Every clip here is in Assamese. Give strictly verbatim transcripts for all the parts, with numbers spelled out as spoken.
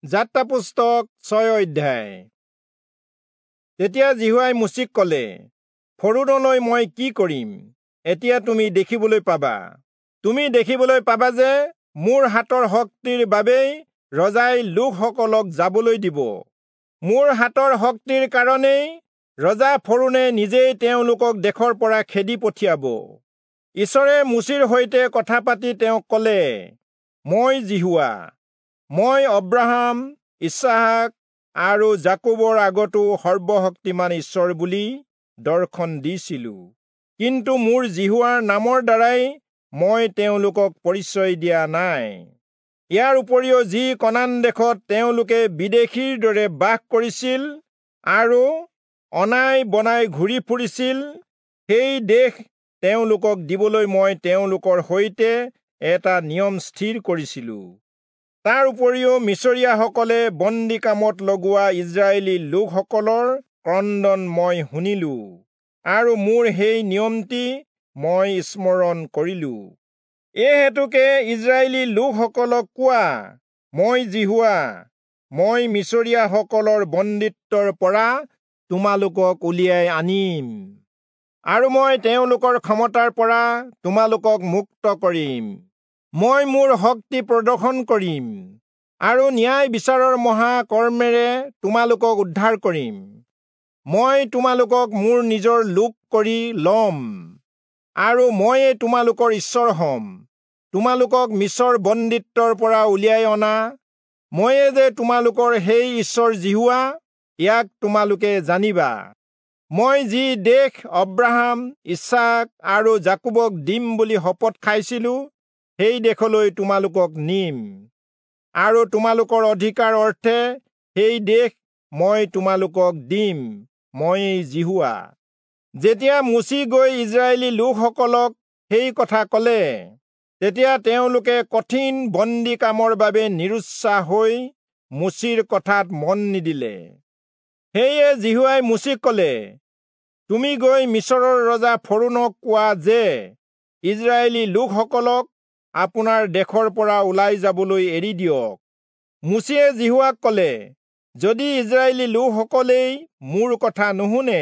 যাত্ৰা পুস্তক ছয় অধ্যায়। তেতিয়া যিহোৱাই মোচিক কলে, ফৰৌণলৈ মই কি কৰিম এতিয়া তুমি দেখিবলৈ পাবা। তুমি দেখিবলৈ পাবা যে মোৰ হাতৰ শক্তিৰ বাবেই ৰজাই লোকসকলক যাবলৈ দিব। মোৰ হাতৰ শক্তিৰ কাৰণেই ৰজা ফৰৌণে নিজেই তেওঁলোকক দেশৰ পৰা খেদি পঠিয়াব। ঈশ্বৰে মোচিৰ সৈতে কথা পাতি তেওঁক কলে, মই যিহোৱা, মই অব্ৰাহাম, ইচহাক আৰু যাকোবৰ আগতো সৰ্বশক্তিমান ঈশ্বৰ বুলি দৰ্শন দিছিলো, কিন্তু মোৰ যিহোৱাৰ নামৰ দ্বাৰাই মই তেওঁলোকক পৰিচয় দিয়া নাই। ইয়াৰ উপৰিও যি কনান দেশত তেওঁলোকে বিদেশীৰ দৰে বাস কৰিছিল আৰু অনাই বনাই ঘূৰি ফুৰিছিল, সেই দেশ তেওঁলোকক দিবলৈ মই তেওঁলোকৰ সৈতে এটা নিয়ম স্থিৰ কৰিছিলো। তাৰ উপৰিও মিচৰীয়াসকলে বন্দী কামত লগোৱা ইস্ৰায়েলী লোকসকলৰ ক্ৰন্দন মই শুনিলো, আৰু মোৰ সেই নিয়মটি মই স্মৰণ কৰিলো। এই হেতুকে ইস্ৰায়েলী লোকসকলক কোৱা, মই যিহোৱা, মই মিচৰীয়াসকলৰ বন্দীত্বৰ পৰা তোমালোকক উলিয়াই আনিম, আৰু মই তেওঁলোকৰ ক্ষমতাৰ পৰা তোমালোকক মুক্ত কৰিম। মই মোৰ শক্তি প্ৰদৰ্শন কৰিম, আৰু ন্যায় বিচাৰৰ মহা কৰ্মেৰে তোমালোকক উদ্ধাৰ কৰিম। মই তোমালোকক মোৰ নিজৰ লোক কৰি লম, আৰু ময়ে তোমালোকৰ ঈশ্বৰ হম। তোমালোকক মিচৰ বন্দীত্বৰ পৰা উলিয়াই অনা ময়ে যে তোমালোকৰ সেই ঈশ্বৰ যিহোৱা, ইয়াক তোমালোকে জানিবা। মই যি দেশ অব্ৰাহাম, ইচহাক আৰু যাকোবক দিম বুলি শপত খাইছিলো, সেই দেশলৈ তোমালোকক নিম, আৰু তোমালোকৰ অধিকাৰ অৰ্থে সেই দেশ মই তোমালোকক দিম। মই যিহোৱা। যেতিয়া মোচি গৈ ইস্ৰায়েলী লোকসকলক সেই কথা কলে, তেতিয়া তেওঁলোকে কঠিন বন্দী কামৰ বাবে নিৰুৎসাহ হৈ মোচিৰ কথাত মন নিদিলে। সেয়ে যিহোৱাই মোচিক কলে, তুমি গৈ মিচৰৰ ৰজা ফৰৌণক কোৱা যে ইস্ৰায়েলী লোকসকলক আপোনাৰ দেশৰ পৰা ওলাই যাবলৈ এৰি দিয়ক। মোচিয়ে যিহোৱাক কলে, যদি ইস্ৰায়েলী লোকসকলেই মোৰ কথা নুশুনে,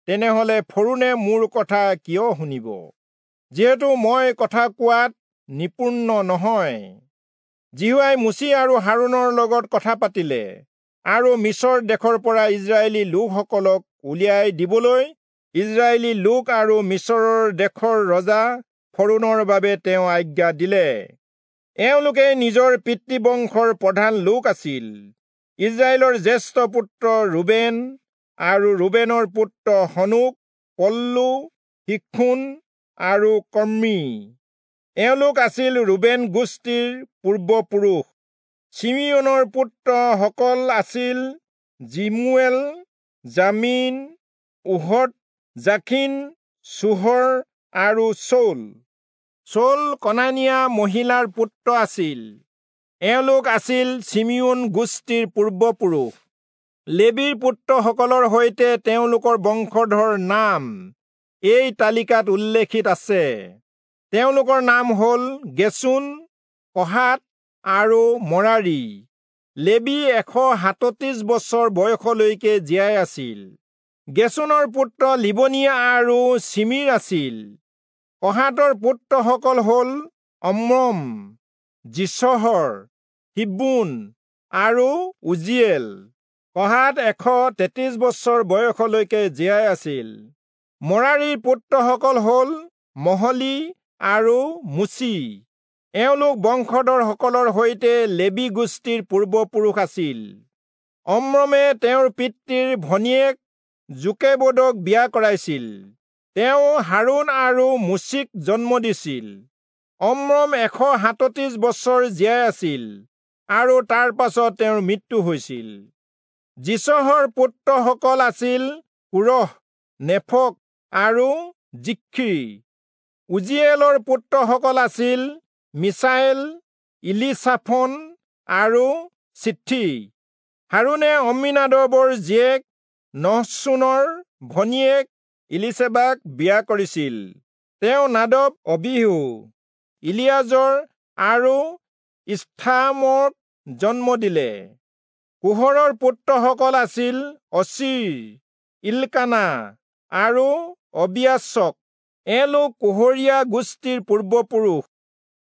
তেনেহলে ফৰৌণে মোৰ কথা কিয় শুনিব, যিহেতু মই কথা কোৱাত নিপুণ নহয়। যিহোৱাই মোচি আৰু হাৰোণৰ লগত কথা পাতিলে, আৰু মিচৰ দেশৰ পৰা ইস্ৰায়েলী লোকসকলক উলিয়াই দিবলৈ ইস্ৰায়েলী লোক আৰু মিচৰৰ দেশৰ ৰজা ফৰৌণৰ বাবে তেওঁ আজ্ঞা দিলে। এওঁলোকে নিজৰ পিতৃবংশৰ প্ৰধান লোক আছিল। ইস্ৰায়েলৰ জ্যেষ্ঠ পুত্ৰ ৰুবেন, আৰু ৰুবেনৰ পুত্ৰ হনোক, পল্লু, শিক্ষোন আৰু কৰ্মী। এওঁলোক আছিল ৰুবেন গোষ্ঠীৰ পূৰ্বপুৰুষ। চিমিয়োনৰ পুত্ৰসকল আছিল জিমুৱেল, জামিন, ওহদ, জাখিন, চোহৰ আৰু চৌল। চৌল কনানীয়া মহিলাৰ পুত্ৰ আছিল। এওঁলোক আছিল চিমিয়োন গোষ্ঠীৰ পূৰ্বপুৰুষ। লেবীৰ পুত্ৰসকলৰ সৈতে তেওঁলোকৰ বংশধৰ নাম এই তালিকাত উল্লেখিত আছে। তেওঁলোকৰ নাম হল গেচোন, কহাত আৰু মৰাৰী। লেবী এশ সাতত্ৰিশ বছৰ বয়সলৈকে জীয়াই আছিল। গেচোনৰ পুত্ৰ লিবনী আৰু চিমিৰ আছিল। কহাতৰ পুত্ৰসকল হল অম্ৰম, যিচহৰ, হিব্ৰোণ আৰু উজ্জীয়েল। কহাত এশ তেত্ৰিশ বছৰ বয়সলৈকে জীয়াই আছিল। মৰাৰীৰ পুত্ৰসকল হল মহলী আৰু মুচি। এওঁলোক বংশধৰসকলৰ সৈতে লেবী গোষ্ঠীৰ পূৰ্বপুৰুষ আছিল। অম্ৰমে তেওঁৰ পিতৃৰ ভনীয়েক যোকেবদক বিয়া কৰাইছিল। তেওঁ হাৰোণ আৰু মোচিক জন্ম দিছিল। অম্ৰম এশ সাতত্ৰিশ বছৰ জীয়াই আছিল, আৰু তাৰ পাছত তেওঁৰ মৃত্যু হৈছিল। যিচহৰ পুত্ৰসকল আছিল কোৰহ, নেফক আৰু জিখ্ৰী। উজ্জীয়েলৰ পুত্ৰসকল আছিল মিছায়েল, ইলিচাফন আৰু চিথ্ৰী। হাৰোণে অম্মীনাদবৰ জীয়েক নহচোনৰ ভনীয়েক ইলীচেবাক বিয়া কৰিছিল। তেওঁ নাদব, অবীহু, ইলিয়াজৰ আৰু ঈথামৰক জন্ম দিলে। কোহৰৰ পুত্ৰসকল আছিল অচীৰ, ইল্কানা আৰু অবিয়াচক। এওঁলোক কোহৰীয়া গোষ্ঠীৰ পূৰ্বপুৰুষ।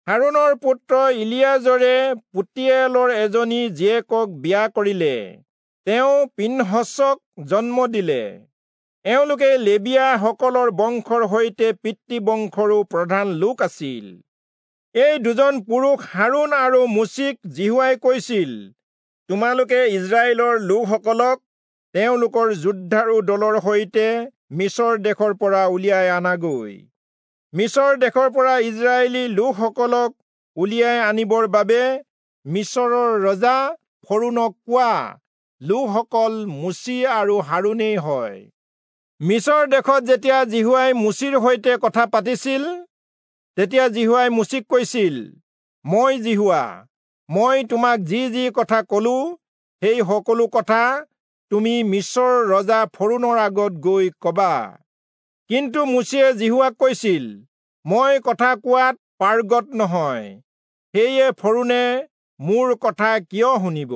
হাৰোণৰ পুত্ৰ ইলিয়াজৰে পুটীয়েলৰ এজনী জীয়েকক বিয়া কৰিলে। তেওঁ পীনহচক জন্ম দিলে। এওঁলোকে লেবীয়াসকলৰ বংশৰ সৈতে পিতৃ বংশৰো প্ৰধান লোক আছিল। এই দুজন পুৰুষ হাৰোণ আৰু মোচিক যিহোৱাই কৈছিল, তোমালোকে ইস্ৰায়েলৰ লোকসকলক তেওঁলোকৰ যুদ্ধাৰু দলৰ সৈতে মিচৰ দেশৰ পৰা উলিয়াই আনাগৈ। মিচৰ দেশৰ পৰা ইস্ৰায়েলী লোকসকলক উলিয়াই আনিবৰ বাবে মিচৰৰ ৰজা ফৰোণক কোৱা লোকসকল মোচি আৰু হাৰোণেই হয়। মিচৰ দেশত যেতিয়া যিহোৱাই মোচিৰ সৈতে কথা পাতিছিল, তেতিয়া যিহোৱাই মোচিক কৈছিল, মই যিহোৱা, মই তোমাক যি যি কথা কলো সেই সকলো কথা তুমি মিচৰৰ ৰজা ফৰোণৰ আগত গৈ কবা। কিন্তু মোচিয়ে যিহোৱাক কৈছিল, মই কথা কোৱাত পাৰ্গত নহয়, সেয়ে ফৰোণে মোৰ কথা কিয় শুনিব?